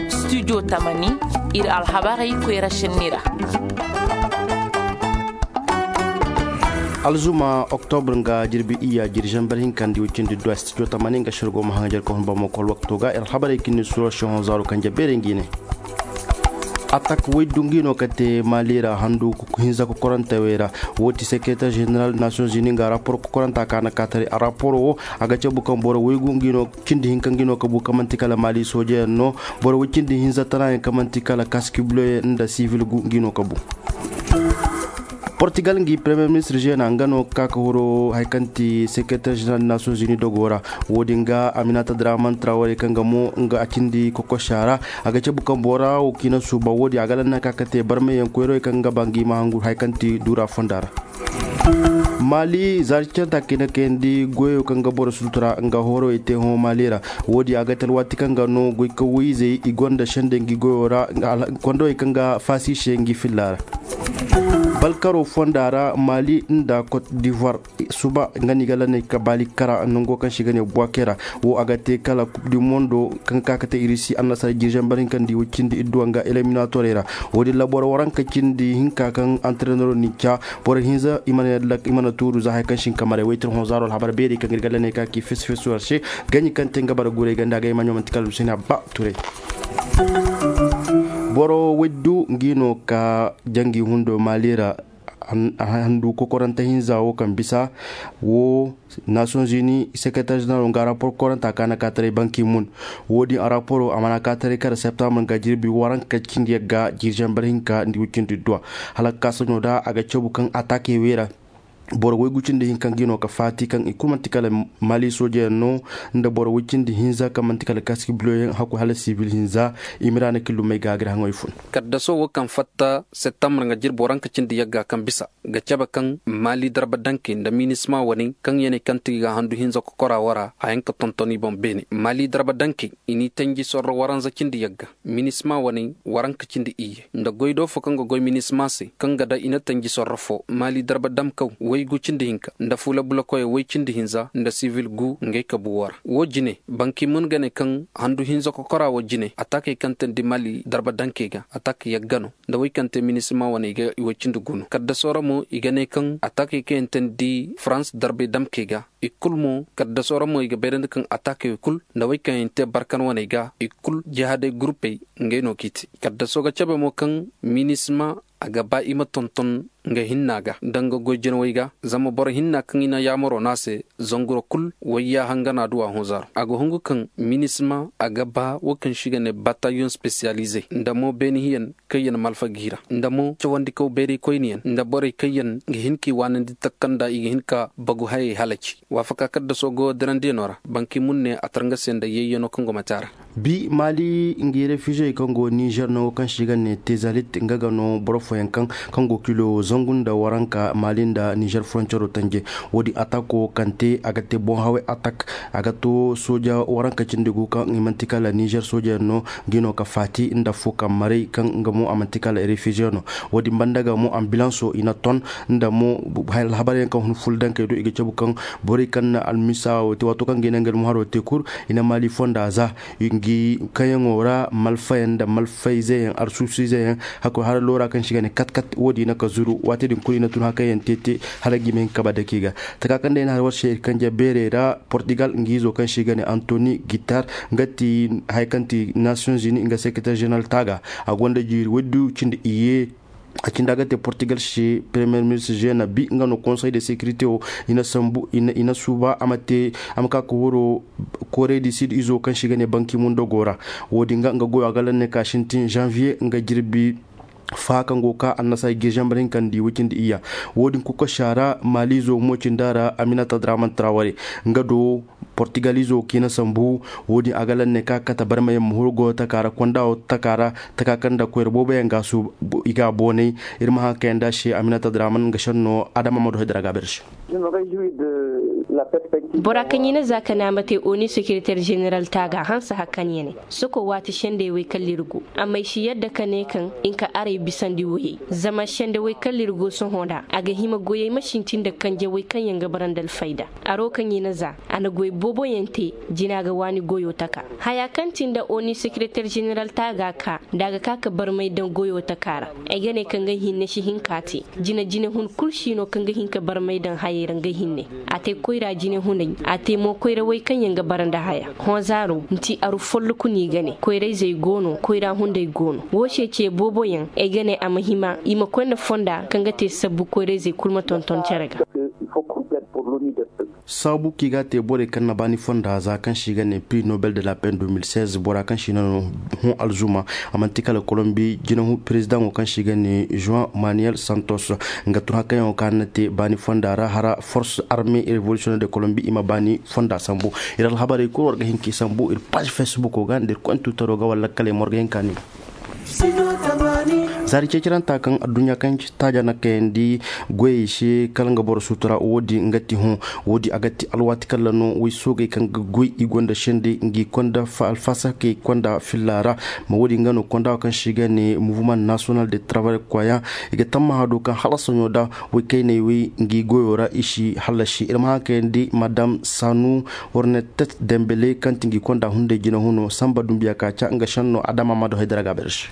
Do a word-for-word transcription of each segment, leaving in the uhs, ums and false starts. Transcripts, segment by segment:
Studio tamani, iri alhabarey koyra senni ra. Alzuma oktobr nga jirbi iyya jirjamber hinka nda iway cindi duwa studio tamani nga sirgo ma haŋajar ka hun bamo kol wakto ga iri alhabarey kinni suro sihon zaaro kanje beere ngi ne. Atak way dungi no ka te mali ra handu hinza kokorantey way ra. Wo ti secretaire général nations unis nga rapport kokoranta ka na ka taray a rapport wo a ga cabu kaŋ boro waygu ngi no cindi hinka ngi no ka bu kaŋ manti kala mali soojeyaŋ no. Boro way cindi hinza tana yaŋ kaŋ manti kala kaski buloyaŋ nda sivil gu ngi no ka bu. Portugal ngi premier ministre jeena nga no ka ka horo hari kaŋ ti secretaire général nations unis dogo ra. Wo- din ga aminata draman traore kaŋ ga mo nga a cindi kokosa ra. A ga cabu kaŋ bora wo kaŋ i na suuba wo- din a ga lanna ka ka te barmayaŋ koyrawey kaŋ ga ba nga i ma hangu hari kaŋ ti duura fonda ra. Mali zaari canta kaŋ i na kayandi goyo kaŋ ga boro sultura nga horo i te hõ mali ra. Wo- din a ga te alwaati kaŋ ga no goy ka wayzey i gonda sende ngi goyo ra. Kondowey kaŋ ga faasi se ngi filla ra. Balkaro fonda ra mali nda cote d'ivoire suba nga no i ga lanna i ka baali kara nango kaŋ se i ga ne buwakera. Wo a ga te kala coupe du monde kaŋ ga ka ga te irisi annasara jirjambar hinka nda i way cindi idduwa nga eliminatorey ra. Wo- din ra boro waranka cindi hinka kaŋ antrenero n'i ca boro hinza i mana tuuru za hari kaŋ se i na ka maray waytir hõ zaaro alhabar beeri kaŋ ga iri ga lanna i ka ka i fesu fesu war se. Gaɲi kaŋ te nga bara guray ganda ga i ma ɲo manti kala luusina ba turay. Boro waydu ngi no ka jangi hundo mali ra. Handu kokorante hinza wo kaŋ bisa wo nations unis secretaire général nga rapport kokoranta ka na ka taray banki mun. Wo- din a rapport a mana ka taray kala septembre nga jirbi waranka cindi yagga jirjambar hinka nda wicindi duwa hala ka ka saɲo da a ga cabu kaŋ attaque weera. Boro waygu cindi hinka ngi no ka faati kaŋ i kulu manti kala mali soojeyaŋ no nda boro way cindi hinza kaŋ manti kala kaski buloyaŋ hakku hala sibil hinza. Imiraana killumey ga a ga iri haŋoy fun. Kaddaso wo kaŋ fatta septembre nga jirbi waranka cindi yagga kaŋ bisa ga cabe kaŋ mali darba danke nda minisma wane kaŋ yaney kaŋ ti ga handu hinza kokora wara a yaŋ ka tonton i boŋ beene mali darba danke i n'i tanji sorro waranza cindi yagga minisma wane waranka cindi iyye nda goy do fo kaŋ ga goy minisma se kaŋ ga da i na tanji sorro fo mali darba damkaw waygu cindi hinka nda fuula bulakoyey way cindi hinza nda sivil gu ngey ka buwo ra wo jine banki mun ga ne kaŋ handu hinza kokora wo jine atakey kaŋ tandi mali darba danke ga atak yagga no nda way kaŋ te minisma wane i ga i way cindi gu no kaddaso ra mo i ga ne kaŋ atakey kaŋ yaŋ tandi farans darbey damkey ga i kulu mo kaddaso ra mo i ga bayrandi kaŋ atakey kulu nda way kaŋ yaŋ te barkan waney ga i kulu jihaaday gurupey ngey no k'i te kaddaso ga cabe mo kaŋ minisma a ga ba i ma tonton nga hinna ga nda nga goy jinawey ga zama boro hinna kaŋ i na yaamaro no a se zanguro kulu wayya hangana duwa hõ zaaro a ga hungu kaŋ minisma a ga ba wo kaŋ se i ga ne batayon spesiyalize nda mo beeni hiyan kaŋ yaŋ malfa ga hira nda mo cawandikaw bayray koyne yaŋ nda borey kaŋ yaŋ ga hin ka i waanandi takanda i ga hin ka bagu hayey halaci waafaka kaddaso go dirandiyaŋo ra banki mun ne a tar nga se nda yayyano kaŋ go mate a ra. Bi mali ngi refugey kaŋ go nizer no kaŋ se i ga ne tezalit nga ga no boro fooyaŋ kaŋ kaŋ go kilo zangu nda waranka mali nda nizer frontiero tanje. Wo- din atako kaŋ te a ga te boŋ haway atak a ga to sooja waranka cindi gu kaŋ i manti kala nizer sooja yaŋ no. Ngi no ka faati nda fo kaŋ maray kaŋ nga mo a manti kala refugey no. Wo- din banda ga mo ambilanso i na ton nda mo alhabar yaŋ kaŋ hun ful dankey do i ga cabu kaŋ borey kaŋ na almisa wo te waato kaŋ ga i naŋ ga almuharo te kulu i na mali fonda za ngi kayaŋo ra malfayaŋ nda malfayzeyaŋ arsusizeyaŋ hakkoy hara loora kaŋ se i ga ne kat kat wo- din i na ka zuru waati din kulu i na tun hakayaŋ te te hala ga i ma hin ka ba dake ga taka kaŋ day na hari war se iri kanje beerey ra portugal ngi izo kaŋ se i ga ne antoni guitar nga ti hari kaŋ ti nations unis nga secretaire général taaga a gonda jiiri waydu cindi iyye. A cindi a ga te portugal se premier ministre jeena bi nga no conseil de sécurité wo i na sambu i na suuba a ma te a ma ka ka horo corée du sud izo kaŋ se i ga ne banki mundo go ra. Wo- din ga nga goyo a ga lanne ka sintin janvier nga jirbi fa kaŋ go ka annasara girjambar hinka nda i wicindi iyya. Wo- din kuka sara malizo mo cinda ra aminata draman traore nga do portugal izo kaŋ i na sambu. Wo- din a ga lanne ka kate barmayaŋ ma huru goyo taka ra konda wo taka ra taka kaŋ nda koyra boobo yaŋ ga su i ga boonay. Iri ma haŋ kayanda se aminata draman nga senno adama ma du hay dira ga beere se. Bora kaŋ i na za ka naama te oni sekereter jeneral taaga hanse hakkan yane soko waati sendey wey kaŋ liri go. Amma ay si yadda ka ne kaŋ i na ka aray bisandi woyey zama sende wey kaŋ liri go sohõ nda a ga hima goyey ma sintin nda kanje wey kaŋ yaŋ ga bara nda alfayda. Aro kaŋ i na za a na goy boobo yaŋ te. Jina ga waani goyo taka haya kaŋ ti nda oni sekereter jeneral taaga ka nda a ga ka ka barmay daŋ goyo taka ra. Ay ga ne kaŋ ga hinne si hin ka te jina jina hun kulu si no kaŋ ga hin ka barmay daŋ hayey ra nga hinne. A te koyra jine hunay a te mo koyra way kaŋ yaŋ ga bara nda haya. Hõ zaaro nti aru folloku no i ga ne koyrayzey go no koyra hunday go no. Wo se ce boobo yaŋ ay ga ne a ma hima i ma koy nda fonda kaŋ ga te sabbu koyrayzey kulu ma tonton care ga. Saabu kaŋ i ga a te borey kaŋ na baani fonda za kaŋ se i ga ne prix nobel de la paix deux mille seize bora kaŋ se i na no hõ alzuma. A manti kala kolombi jinahu perezidaŋo kaŋ se i ga ne juan manuel santos. Nga tun hakkayaŋo kaŋ a na te baani fonda ra hara force armée révolutionnaire de kolombi i ma baani fonda sambu. Iri alhabarey kulu war ga hin ka i sambu iri paazi facebook ga nda iri konti twittero ga wala lakkale mo war ga hin ka ni. Zaari ceeciranta kaŋ adduɲɲa kaŋ ci taaja na kayandi goyey se kala nga boro sutura wo- din nga ti hõ. Wo- din a ga ti alwaati kala no way soogey kaŋ ga goy i gonda sendey ngi konda alfasakey konda filla ra. Ma wo- din nga no konda kaŋ se i ga ne mouvement national de travail koya i ga tammaha do kaŋ hala soɲo da way kayney way ngi goyo ra i si hallasi iri ma haŋ kayandi madam sanu hornetet dembele kaŋ ti ngi konda hunday jina huno samba dumbiya ka ca nga senno adama ma do haydara ga a beere se.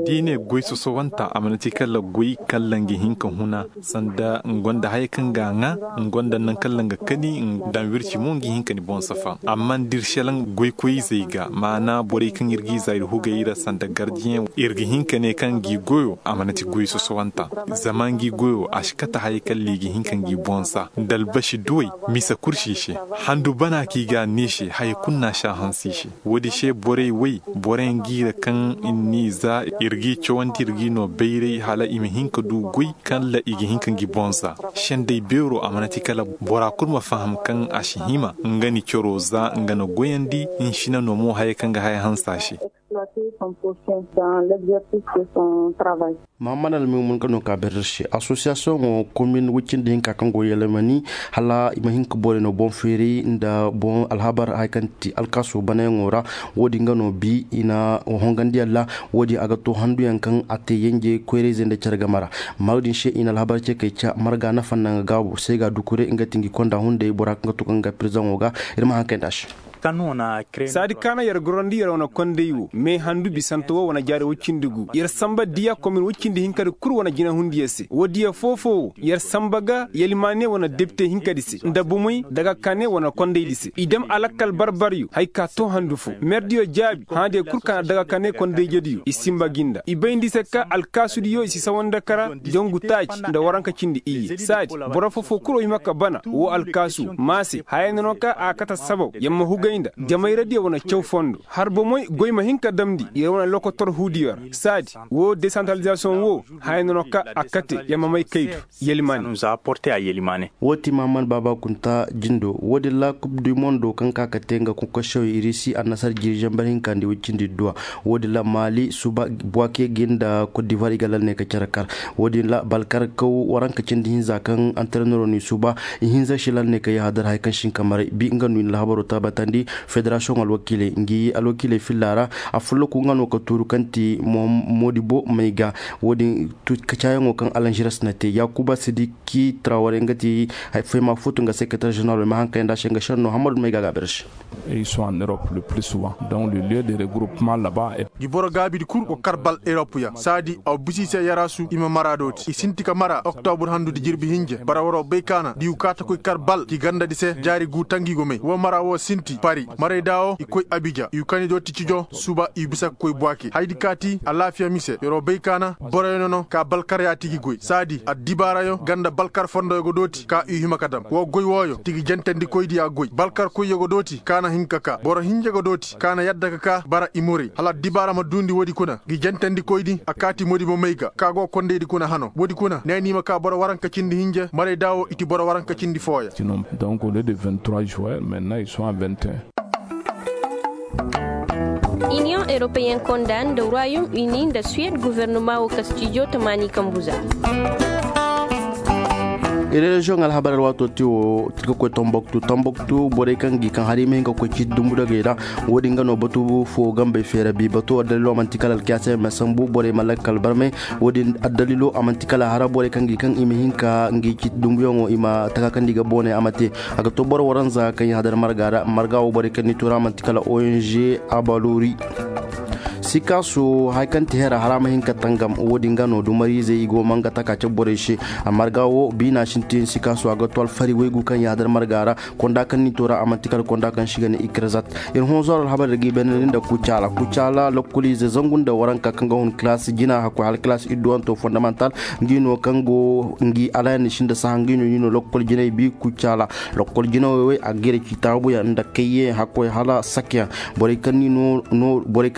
Da i ne goy sosowanta a mana ti kala goy kala nga hin ka huna sanda nga gonda haya kaŋ ga a ŋwa nga gonda naŋ kala nga kani daŋ wirci mo nga hin ka ni boŋ safa amma da iri selaŋ goy koyizey ga maana borey kaŋ iri g'i za iri hugey ra sanda gardiyaŋ iri ga hin ka ne kaŋ ngi goyo a mana ti goy sosowanta. Zama ngi goyo a si kate haya kala i ga hin ka ngi boŋ sa nda albasi duwey misa kursi se handu bana kaŋ i ga a ne se haya kulu no a si a hanse i se. Wo- din se borey way boro yaŋ g'i ra kaŋ i n'i za iri g'i cawandi iri g'i no bayray hala i ma hin ka du goy kala i ga hin ka ngi boŋ za. Sendey beero a mana ti kala bora kulu ma faham kaŋ a si hima nga ni coro za nga na goyandi. Nsina no mo haya kaŋ ga haya hanse a se. Mahammad almimun ga no ka berder se association wo komin wicindi hinka kaŋ go yelemani hala i ma hin ka borey no boŋ feeri nda boŋ alhabar hari kaŋ ti alkaaso banayaŋo ra. Wo- din ga no bi i na hongandiyaŋ ra. Wo- din a ga to handuyaŋ kaŋ a te yanje koyrayzey nda care game ra. Maayo din se i na alhabar ce kay ca marga nafa nda nga gaabo se ga dukure nga ti ngi konda hunday bora kaŋ ga to kaŋ ga pirzaŋo ga. Iri ma haŋ kay nda se. Saadi kaana yer gorandi yer wane konday wo me handu bisante wo wane jaari woy cindi gu yer samba diya komin woy cindi hinka di kulu wane jinahundiyaŋ se wo diya foo-foo wo yer samba ga yalimaane wane depite hinka di se nda bomey dagakaane wane kondaydi se i dam alakkal bar-baryo hari ka to handu fo merdiyo jaabi hãadiyo kulu kaana dagakaane kondayjediyo i simba gi nda i bay nda i se ka alkaasudiyo i si sawa nda kara jangu taaci nda waranka cindi iyye saadi boro foo-foo kulu wo hima ka bana wo alkaasu ma se haya no no ka a kate sabaw yer ma hugay nda jamayradiyo wane caw fondo har bomey goy ma hin ka damndi yer wane lokotor huudiyo ra saadi wo desantralizasoŋ wo haya no no ka a kate yer ma may kay du yalimaane. Wo- ti mahammad baaba kunta jindo wo- din ra kub du mondo kaŋ ka ga te nga konkosiyawey irisi annasar jiiri zambar hinka nda woy cindi duwa. Wo- din ra maali suba buwake gi nda kot divuwar i ga lal ne ka care kar. Wo- din ra balkar kaw waranka cindi hinza kaŋ antarenero no i suba ihinza si lal ne ka yahadar hari kaŋ si hin ka maray bi nga no i na alhabaro tabatandi. Federasiyoŋ alwakiiley ngi alwakiiley filla ra. Afolloku nga no ka tuuru kaŋ ti moodibo may ga wo- din. Kacaayaŋo kaŋ alanžires na te yaakuba sidiki traware nga ti fayma futu nga sekereter ženeral ma haŋ kay nda se nga senno hammadu may ga a ga a beere se. Ils sont en Europe le plus souvent donc le lieu de regroupement là-bas. Di boro gaabidi kulu go kar bal europe ya saadi aw bisa i se yaraasu i ma mara dooti i sinti ka mara oktobur handu di jirbi hinja bara waro bay kaana di wu kaata koy kar bal ki gandadi se jaari gu tangi go may wo mara wo sinti pari maray da wo i koy abidja i wu kani dooti cijo suba i wu bisa ka koy buwake haydi kaati alaafiya mise yaro bay kaana boroyo no no ka balkar yaati gi goy saadi addibaarayo ganda balkar fondoyo go dooti ka i wu hima ka dam wo goy wooyo ti gi jantandikoydi ya goy balkar koyyo go dooti ka na hin ka ka boro hinja go dooti ka na yadda ka ka bara i morey hala addibaara ma duundi woodi kuna gi jantandikoydi a kaati moodi mo may ga ka go kondaydi kuna hano woodi kuna ne ni ma ka boro waranka cindi hinja maray da wo i ti boro waranka cindi fooya. Donc au lieu de vingt-trois joueurs maintenant ils sont à vingt et un. Inion européen konda nda royaume uni nda suwed guvernema wo kastijo tamaani kambuza. Reziyoŋ alhabar alwaato te wo, ka koy tomboktu tomboktu borey kaŋ ga i kaŋ hari i ma hin ka koy ciiti dumbu dagey ra. Wo- din ga no batu fo gambey feera bi bato wo dalilo manti kala alkiyaasa yaŋ ma sambu borey ma lakkal barmay. Wo- din addalilo a manti kala hara borey kaŋ ga i kaŋ i ma hin ka ngi ciiti dumbuyaŋo i ma taka kaŋ da i ga boonay a ma te. A ga to boro waranza kaŋ i hadar marga ra marga wo borey kaŋ ni tura manti kala ong abalori. Sikaso hari kaŋ ti hera hara ma hin ka tangam wo- din ga no dumariizey i go manga taka cabe borey se. A marga wo biina sintin sikaso a ga to alfari waygu kaŋ yaadar marga ra. Konda kaŋ ni to ra a manti kala konda kaŋ si ga ne ikirzat. Iri hõ zoro alhabar da ga i bene nda kucaala kucaala lokkoliize zangu nda waranka kaŋ ga hun kilaasi jina hakkoy hala kilaasi idduwanto fondamantal. Ngi no kaŋ go ngi alayan ni sinda saha ngi no ni no lokkol jinay bi kucaala. Lokkol jinawey wey a ga gere ci taabuyaŋ nda kayye hakkoy hala sakyaŋ. Borey kaŋ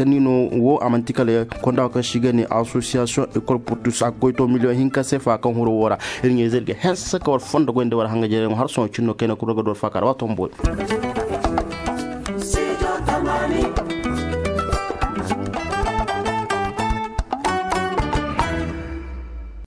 ni no wo a manti kala konda kaŋ si ga ne association école portus a ga koy to miliyoŋ hinka sefa kaŋ huro wo ra. Iri ɲayze iri ga hanse ka war fondo goy nda war hanga jere yaŋo har sohõ cine no kayna kulu ga du war faaka ra waato ma boori.